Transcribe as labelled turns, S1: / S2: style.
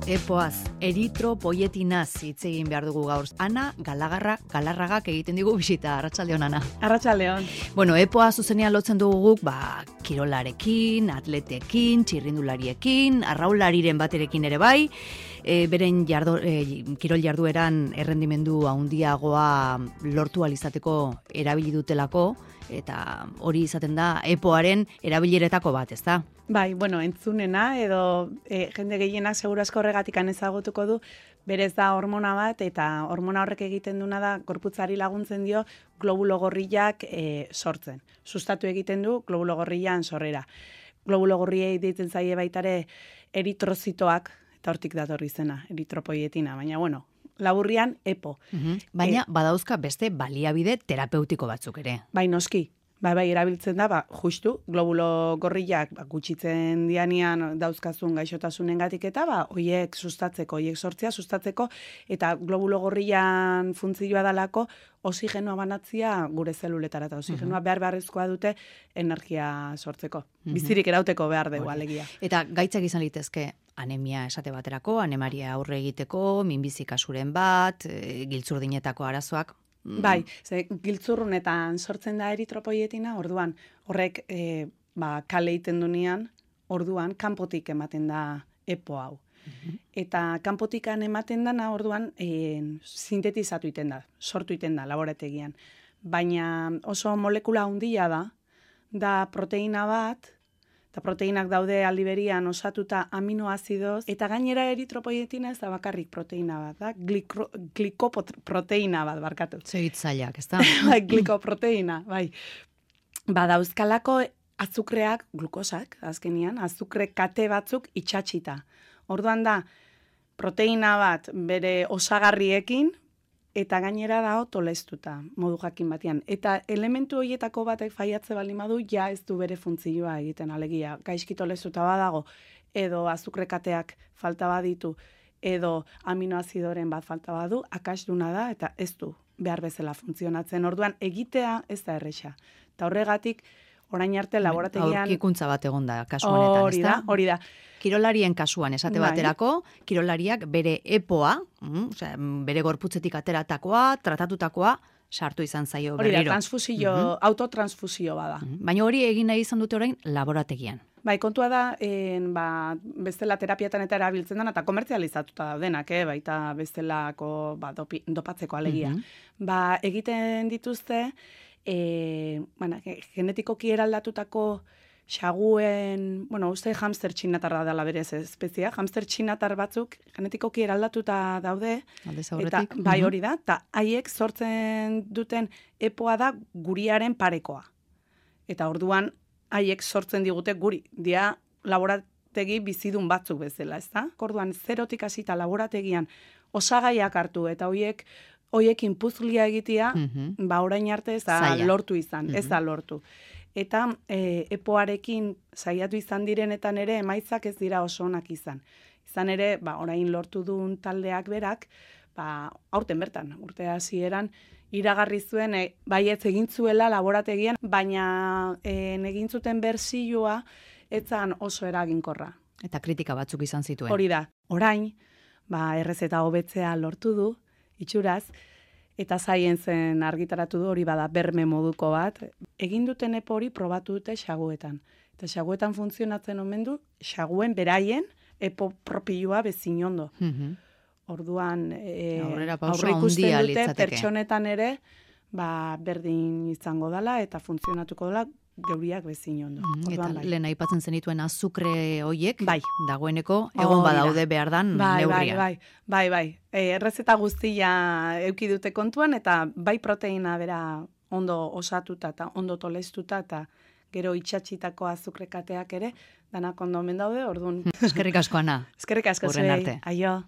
S1: Epoaz, eritropoietinaz hitz egin behar dugu gaur. Ana Galarragak egiten digu bisita. Arratsaldeon, Ana.
S2: Arratsaldeon.
S1: Bueno, epoa zuzenean lotzen dugu guk, kirolarekin, atletekin, txirrindulariekin, arraulariren baterekin ere bai, beren kirol jardueran errendimendu handiagoa lortu alizateko erabili dutelako, eta hori izaten da epoaren erabileretako bat, ezta?
S2: Bai, bueno, entzunena edo jende gehienak seguru asko horregatik ezagutuko du, berez da hormona bat, eta hormona horrek egiten duna da gorputzari laguntzen dio globulo gorriak sortzen. Sustatu egiten du globulo gorrian sorrera. Globulo gorriei deitzen zaie baitare eritrozitoak, eta hortik dator izena, eritropoietina, baina bueno, laburrian EPO.
S1: Baina badauzka beste baliabide terapeutiko batzuk ere.
S2: Bai, noski. Bai, erabiltzen da, justu, globulo gorriak gutxitzen dianian dauzkazun gaixotasunengatik eta hoiek sustatzeko, hoiek sortzea sustatzeko, eta globulo gorrian funtzioa dalako oxigenoa banatzia gure zeluletara, eta oxigenoa beharrezkoa dute energia sortzeko. Bizirik erauteko behar dugu alegia.
S1: Eta gaitzak izan litezke, anemia esate baterako, anemaria aurre egiteko, minbizi kasuren bat, giltzurdinetako arazoak.
S2: Bai, giltzurrunetan sortzen da eritropoietina, orduan horrek kale egiten dunean, orduan kanpotik ematen da EPO hau. Eta kanpotikan ematen dana, orduan sintetizatu iten da, sortu iten da laborategian. Baina oso molekula handia da proteina bat, eta proteinak daude aldi berian osatuta aminoazidoz, eta gainera eritropoietina ez da bakarrik proteina bat, da glikoproteina bat, barkatu.
S1: Zehitzaileak, ez da?
S2: Bai, glikoproteina, bai. Dauzkalako azukreak, glukosak, azkenian, azukre kate batzuk itxatxita. Orduan da, proteina bat bere osagarriekin, eta gainera dago tolestuta, modu jakin batean. Eta elementu horietako batek faiatze baldin badu, ja ez du bere funtzioa egiten alegia. Gaizki tolestuta badago, edo azukrekateak falta baditu, edo aminoazidoren bat falta badu, akasduna da, eta ez du behar bezala funtzionatzen. Orduan, egitea ez da erresa. Eta horregatik, orain arte laborategian...
S1: Aurkikuntza bat egon da, kasu honetan, ez da?
S2: Hori da.
S1: Kirolarien kasuan, esate baterako, kirolariak bere EPOa, bere gorputzetik ateratakoa, tratatutakoa, sartu izan zaio berriro.
S2: Hori da, autotransfusio bada.
S1: Baina hori egin nahi izan dute orain laborategian.
S2: Bai, kontua da, bestela terapiatan eta erabiltzen dena, eta komertzializatuta daudenak, baita bestelako dopatzeko alegia. Egiten dituzte, genetikoki eraldatutako xaguen, uste hamster txinatarra dela berez espezia, hamster txinatar batzuk genetikoki eraldatuta daude, eta bai hori da, eta haiek sortzen duten EPOa da guriaren parekoa. Eta orduan, haiek sortzen digute guri, dia laborategi bizidun batzuk bezala, ez da? Orduan, zerotik hasita laborategian osagaiak hartu, eta hoiekin puzlia egitea, orain arte ez da lortu izan, ez da lortu. Eta EPOarekin saiatu izan direnetan ere emaitzak ez dira oso onak izan. Izan ere, orain lortu duen taldeak berak, aurten bertan, urte hasieran iragarri zuen, baietz egin zuela laborategian, baina egin zuten bertsioa etzan oso eraginkorra.
S1: Eta kritika batzuk izan zituen.
S2: Hori da, orain, errezeta hobetzea lortu du, itxuraz, eta Science-en argitaratu du hori bada berme moduko bat. Egin duten EPO hori probatu dute xaguetan. Eta xaguetan funtzionatzen omen du, xaguen beraien EPO propioa bezin ondo. Orduan, aurreikusten dute pertsonetan ere, berdin izango dela eta funtzionatuko dela geuriak bezin ondo.
S1: Eta lehen aipatzen zenituen azukre hoiek, dagoeneko egon badaude behar dan neurrian.
S2: Bai. Errezeta guztia eduki dute kontuan, eta bai proteina bera ondo osatuta eta ondo tolestuta, eta gero itxatxitako azukrekateak ere, danak ondo omen daude, orduan.
S1: Eskerrik asko, Ana.
S2: Eskerrik asko, zuei. Aio.